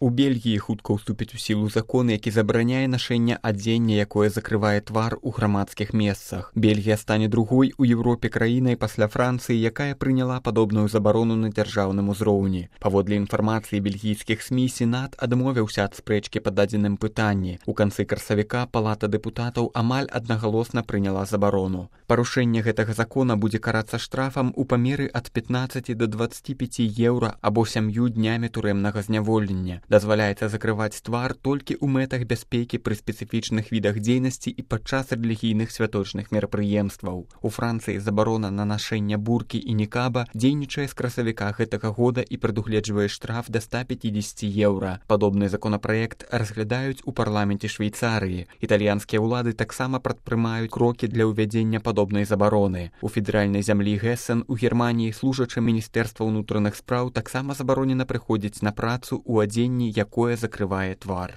У Бельгіі хутка ўступіць у сілу закон, які забараняе нашэнне адзення, якое закрывае твар у грамадскіх месцах. Бельгія стане другой у Еўропе краінай пасля Францыі, якая прыняла падобную забарону на дзяржаўным узроўні. Паводле інфармацыі бельгійскіх СМІ, Сенат адмовіўся ад спрэчкі па дадзеным пытанні. У канцы красавіка Палата дэпутатаў амаль аднагалосна прыняла забарону. Парушэнне гэтага закона будзе карацца штрафам у памеры ад 15 до 25 еўра або 7 днямі турэмнага зняволення. Дазваляецца закрываць твар толькі ў мэтах бяспекі пры спецыфічных відах дзейнасці і падчас рэлігійных святочных мерапрыемстваў. У Францыі забарона на нашэнне буркі і нікаба дзейнічае з красавіка гэтага года і прадугледжвае штраф да 150 еўра. Падобны законапраект разглядаюць у парламенце Швейцарыі. Італьянскія ўлады таксама прадпрымаюць крокі для ўвядзення падобнай забароны. У федэральнай зямлі Гессен у Германіі служачым Міністэрства ўнутраных спраў таксама забаронена прыходзіць на працу ў адзенні, якое закрывае твар.